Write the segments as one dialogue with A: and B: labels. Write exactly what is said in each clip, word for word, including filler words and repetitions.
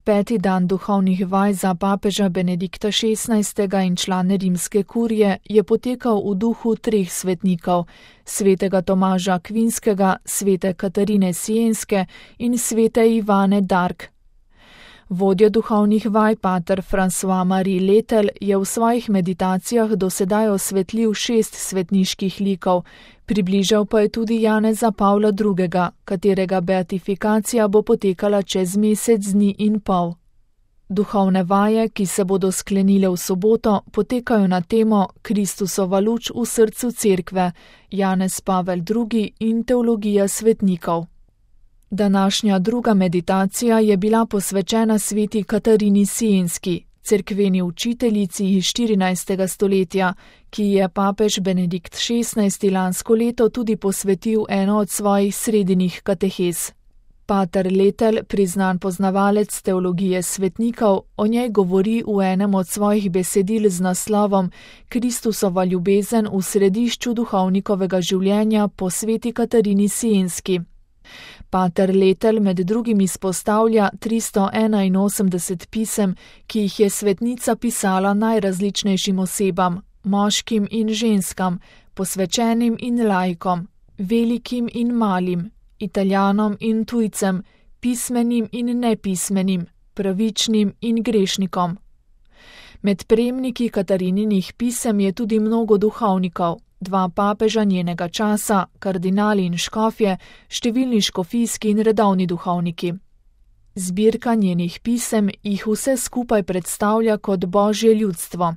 A: Peti dan duhovnih vaj za papeža Benedikta šestnajstega in člane rimske kurije je potekal v duhu treh svetnikov, svetega Tomaža Akvinskega, svete Katarine Sienske in svete Ivane Dark. Vodja duhovnih vaj pater François-Marie Letel je v svojih meditacijah dosedaj osvetlil šest svetniških likov, približal pa je tudi Janeza Pavla drugega, katerega beatifikacija bo potekala čez mesec dni in pol. Duhovne vaje, ki se bodo sklenile v soboto, potekajo na temo Kristusova luč v srcu cerkve, Janez Pavel drugi in teologija svetnikov. Današnja druga meditacija je bila posvečena sveti Katarini Sienski, cerkveni učiteljici iz štirinajstega stoletja, ki je papež Benedikt šestnajsti lansko leto tudi posvetil eno od svojih sredinih katehez. Pater Letel, priznan poznavalec teologije svetnikov, o njej govori v enem od svojih besedil z naslovom Kristusova ljubezen v središču duhovnikovega življenja po sveti Katarini Sienski. Pater Letel med drugim izpostavlja tristo enainosemdeset pisem, ki jih je svetnica pisala najrazličnejšim osebam, moškim in ženskam, posvečenim in laikom, velikim in malim, Italijanom in tujcem, pismenim in nepismenim, pravičnim in grešnikom. Med prejemniki Katarininih pisem je tudi mnogo duhovnikov, dva papeža njenega časa, kardinali in škofje, številni škofijski in redovni duhovniki. Zbirka njenih pisem jih vse skupaj predstavlja kot božje ljudstvo.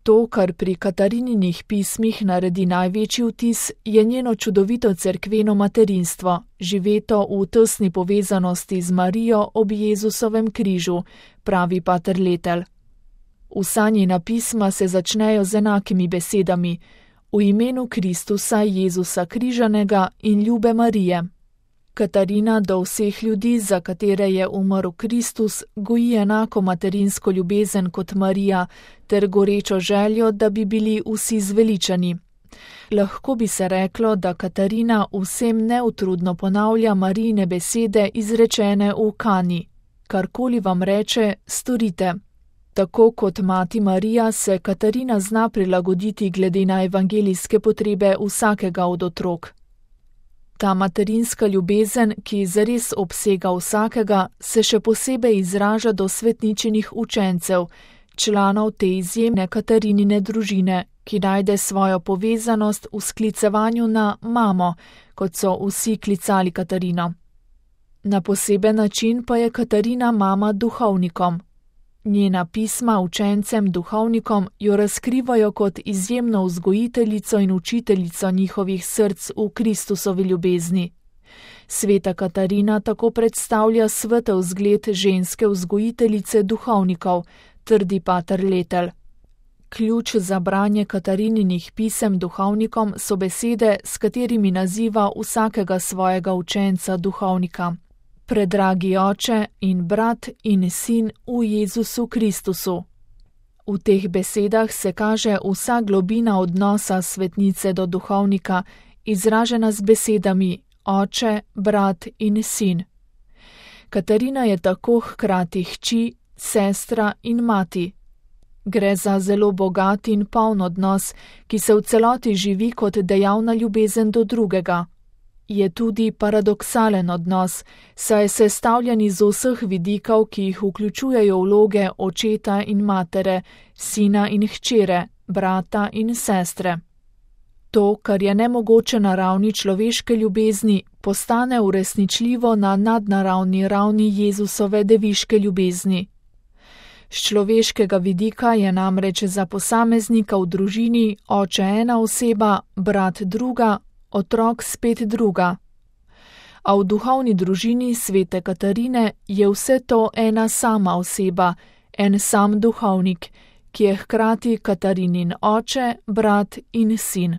A: To, kar pri Katarininih pismih naredi največji vtis, je njeno čudovito cerkveno materinstvo, živeto v tesni povezanosti z Marijo ob Jezusovem križu, pravi pater Letel. Vsa njena pisma se začnejo z enakimi besedami: v imenu Kristusa, Jezusa križanega in ljube Marije. Katarina do vseh ljudi, za katere je umrl Kristus, goji enako materinsko ljubezen kot Marija, ter gorečo željo, da bi bili vsi zveličani. Lahko bi se reklo, da Katarina vsem neutrudno ponavlja Marijine besede izrečene v Kani: karkoli vam reče, storite. Tako kot mati Marija se Katarina zna prilagoditi glede na evangelijske potrebe vsakega od otrok. Ta materinska ljubezen, ki zares obsega vsakega, se še posebej izraža do svetničinih učencev, članov te izjemne Katarinine družine, ki najde svojo povezanost v sklicevanju na mamo, kot so vsi klicali Katarino. Na poseben način pa je Katarina mama duhovnikom. Njena pisma učencem duhovnikom jo razkrivajo kot izjemno vzgojiteljico in učiteljico njihovih src v Kristusovi ljubezni. Sveta Katarina tako predstavlja svetel zgled ženske vzgojiteljice duhovnikov, trdi pater Letel. Ključ za branje Katarininih pisem duhovnikom so besede, s katerimi naziva vsakega svojega učenca duhovnika: predragi oče in brat in sin v Jezusu Kristusu. V teh besedah se kaže vsa globina odnosa svetnice do duhovnika, izražena z besedami oče, brat in sin. Katarina je tako hkrati hči, sestra in mati. Gre za zelo bogat in poln odnos, ki se v celoti živi kot dejavna ljubezen do drugega. Je tudi paradoksalen odnos, saj je sestavljen iz vseh vidikov, ki jih vključujejo vloge očeta in matere, sina in hčere, brata in sestre. To, kar je nemogoče na ravni človeške ljubezni, postane uresničljivo na nadnaravni ravni Jezusove deviške ljubezni. Z človeškega vidika je namreč za posameznika v družini oče ena oseba, brat druga, otrok spet druga. A v duhovni družini svete Katarine je vse to ena sama oseba, en sam duhovnik, ki je hkrati Katarinin oče, brat in sin.